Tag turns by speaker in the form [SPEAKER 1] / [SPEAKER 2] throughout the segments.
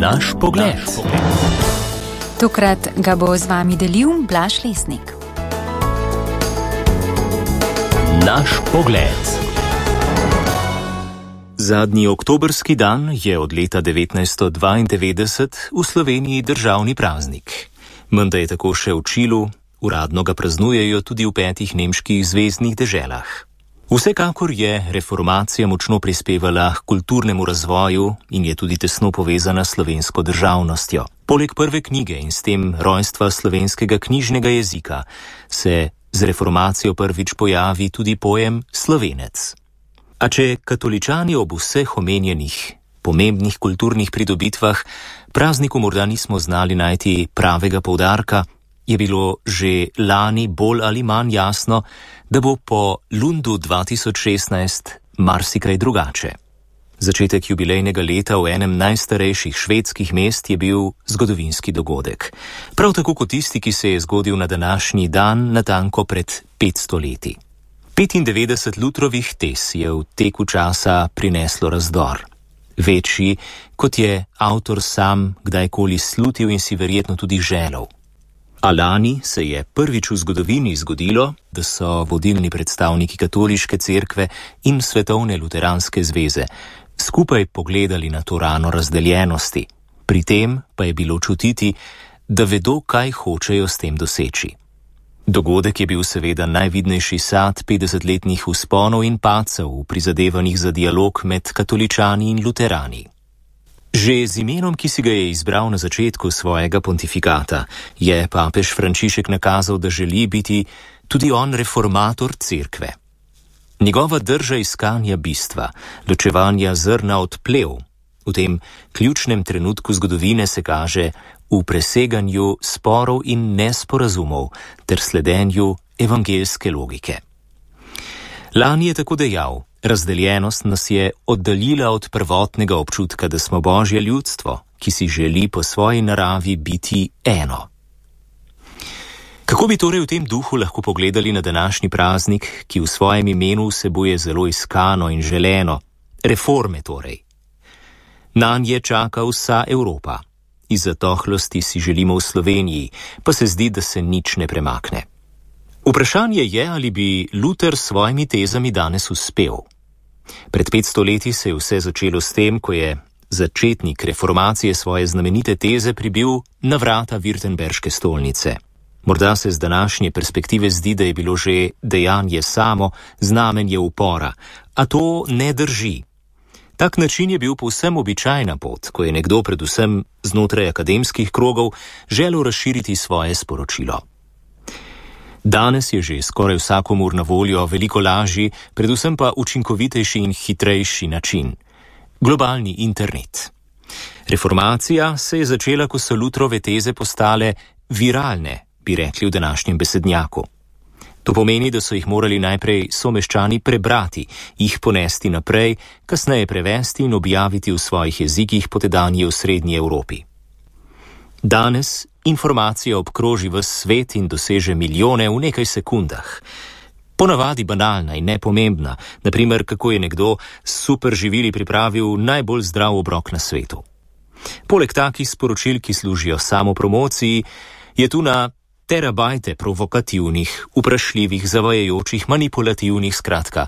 [SPEAKER 1] Naš pogled.
[SPEAKER 2] Tokrat ga bo z vami delil Blaž Lesnik.
[SPEAKER 1] Naš pogled. Zadnji oktobrski dan je od leta 1992 v Sloveniji državni praznik. Menda je tako še v Čilu, uradno ga praznujejo tudi v 5 nemških zvezdnih deželah. Vsekakor je reformacija močno prispevala k kulturnemu razvoju in je tudi tesno povezana s slovensko državnostjo. Poleg prve knjige in s tem rojstva slovenskega knjižnega jezika se z reformacijo prvič pojavi tudi pojem Slovenec. A če katoličani ob vseh omenjenih pomembnih kulturnih pridobitvah prazniku morda nismo znali najti pravega poudarka, je bilo že lani bolj ali manj jasno, da bo po Lundu 2016 marsikaj drugače. Začetek jubilejnega leta v enem najstarejših švedskih mest je bil zgodovinski dogodek. Prav tako kot tisti, ki se je zgodil na današnji dan natanko pred 500 leti. 95 Lutrovih tez je v teku časa prineslo razdor. Večji, kot je avtor sam kdajkoli slutil in si verjetno tudi želel. A lani se je prvič v zgodovini zgodilo, da so vodilni predstavniki katoliške cerkve in Svetovne luteranske zveze skupaj pogledali na to rano razdeljenosti. Pri tem pa je bilo čutiti, da vedo, kaj hočejo s tem doseči. Dogodek je bil seveda najvidnejši sad 50-letnih vzponov in padcev v prizadevanjih za dialog med katoličani in luterani. Že z imenom, ki si ga je izbral na začetku svojega pontifikata, je papež Frančišek nakazal, da želi biti tudi on reformator cerkve. Njegova drža iskanja bistva, ločevanja zrna od plev, v tem ključnem trenutku zgodovine se kaže v preseganju sporov in nesporazumov ter sledenju evangeljske logike. Lani je tako dejal: razdeljenost nas je oddaljila od prvotnega občutka, da smo Božje ljudstvo, ki si želi po svoji naravi biti eno. Kako bi torej v tem duhu lahko pogledali na današnji praznik, ki v svojem imenu vsebuje zelo iskano in želeno, reforme torej? Nanje čaka vsa Evropa. Iz zatohlosti si želimo v Sloveniji, pa se zdi, da se nič ne premakne. Vprašanje je, ali bi Luther s svojimi tezami danes uspel. Pred 500 leti se je vse začelo s tem, ko je začetnik reformacije svoje znamenite teze pribil na vrata Württemberške stolnice. Morda se z današnje perspektive zdi, da je bilo že dejanje samo znamenje upora, a to ne drži. Tak način je bil povsem običajna pot, ko je nekdo predvsem znotraj akademskih krogov želel razširiti svoje sporočilo. Danes je že skoraj vsakomur na voljo veliko lažji, predvsem pa učinkovitejši in hitrejši način. Globalni internet. Reformacija se je začela, ko so Lutrove teze postale viralne, bi rekli v današnjem besednjaku. To pomeni, da so jih morali najprej someščani prebrati, jih ponesti naprej, kasneje prevesti in objaviti v svojih jezikih potedanje v Srednji Evropi. Danes informacija obkroži ves svet in doseže milijone v nekaj sekundah. Ponavadi banalna in nepomembna, naprimer kako je nekdo s super živili pripravil najbolj zdrav obrok na svetu. Poleg takih sporočil, ki služijo samopromociji, je tu na terabajte provokativnih, vprašljivih, zavajajočih, manipulativnih, skratka.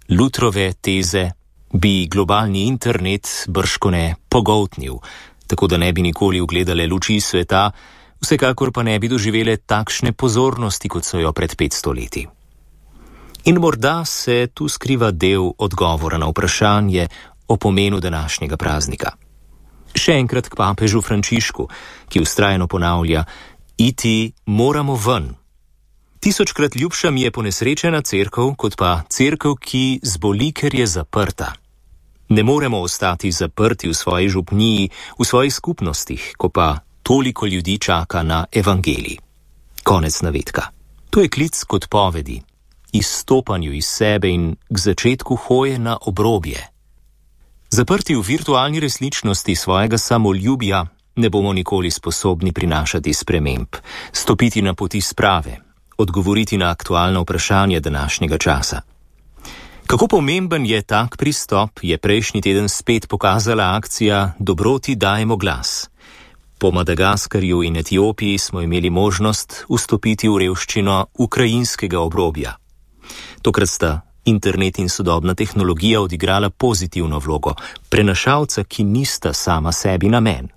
[SPEAKER 1] Lutrove teze bi globalni internet bržkone pogoltnil, tako da ne bi nikoli ugledale luči sveta, vsekakor pa ne bi doživele takšne pozornosti, kot so jo pred 500 leti. In morda se tu skriva del odgovora na vprašanje o pomenu današnjega praznika. Še enkrat k papežu Frančišku, ki vztrajno ponavlja: iti moramo ven. 1000-krat ljubša mi je ponesrečena cerkev, kot pa cerkev, ki zboli, ker je zaprta. Ne moremo ostati zaprti v svoji župniji, v svojih skupnostih, ko pa toliko ljudi čaka na evangelij. Konec navedka. To je klic k odpovedi, izstopanju iz sebe in k začetku hoje na obrobje. Zaprti v virtualni resničnosti svojega samoljubja ne bomo nikoli sposobni prinašati sprememb, stopiti na poti sprave, odgovoriti na aktualna vprašanja današnjega časa. Kako pomemben je tak pristop, je prejšnji teden spet pokazala akcija Dobroti dajemo glas. Po Madagaskarju in Etiopiji smo imeli možnost vstopiti v revščino ukrajinskega obrobja. Tokrat sta internet in sodobna tehnologija odigrala pozitivno vlogo, prenašalca, ki nista sama sebi namen.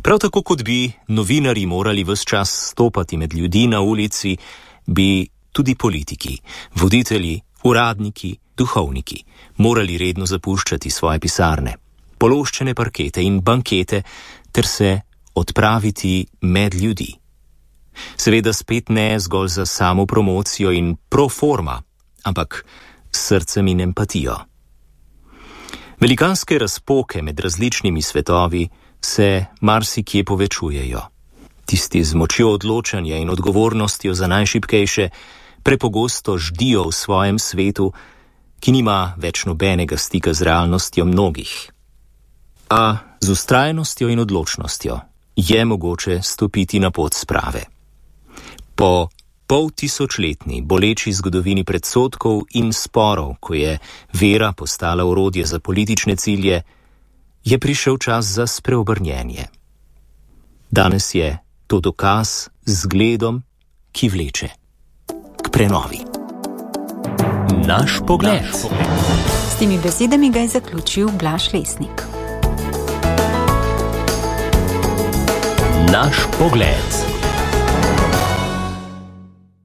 [SPEAKER 1] Prav tako kot bi novinarji morali ves čas stopati med ljudi na ulici, bi tudi politiki, voditelji, uradniki, duhovniki morali redno zapuščati svoje pisarne, pološčene parkete in bankete ter se odpraviti med ljudi. Seveda spet ne zgolj za samo promocijo in pro forma, ampak s srcem in empatijo. Velikanske razpoke med različnimi svetovi se marsikje povečujejo. Tisti z močjo odločanja in odgovornostjo za najšibkejše prepogosto ždijo v svojem svetu, ki nima več nobenega stika z realnostjo mnogih. A z vztrajnostjo in odločnostjo je mogoče stopiti na pot sprave. Po poltisočletni boleči zgodovini predsodkov in sporov, ko je vera postala orodje za politične cilje, je prišel čas za spreobrnjenje. Danes je to dokaz z zgledom, ki vleče k prenovi. Naš pogled.
[SPEAKER 2] S temi besedami ga je zaključil Blaž Lesnik.
[SPEAKER 1] Naš pogled.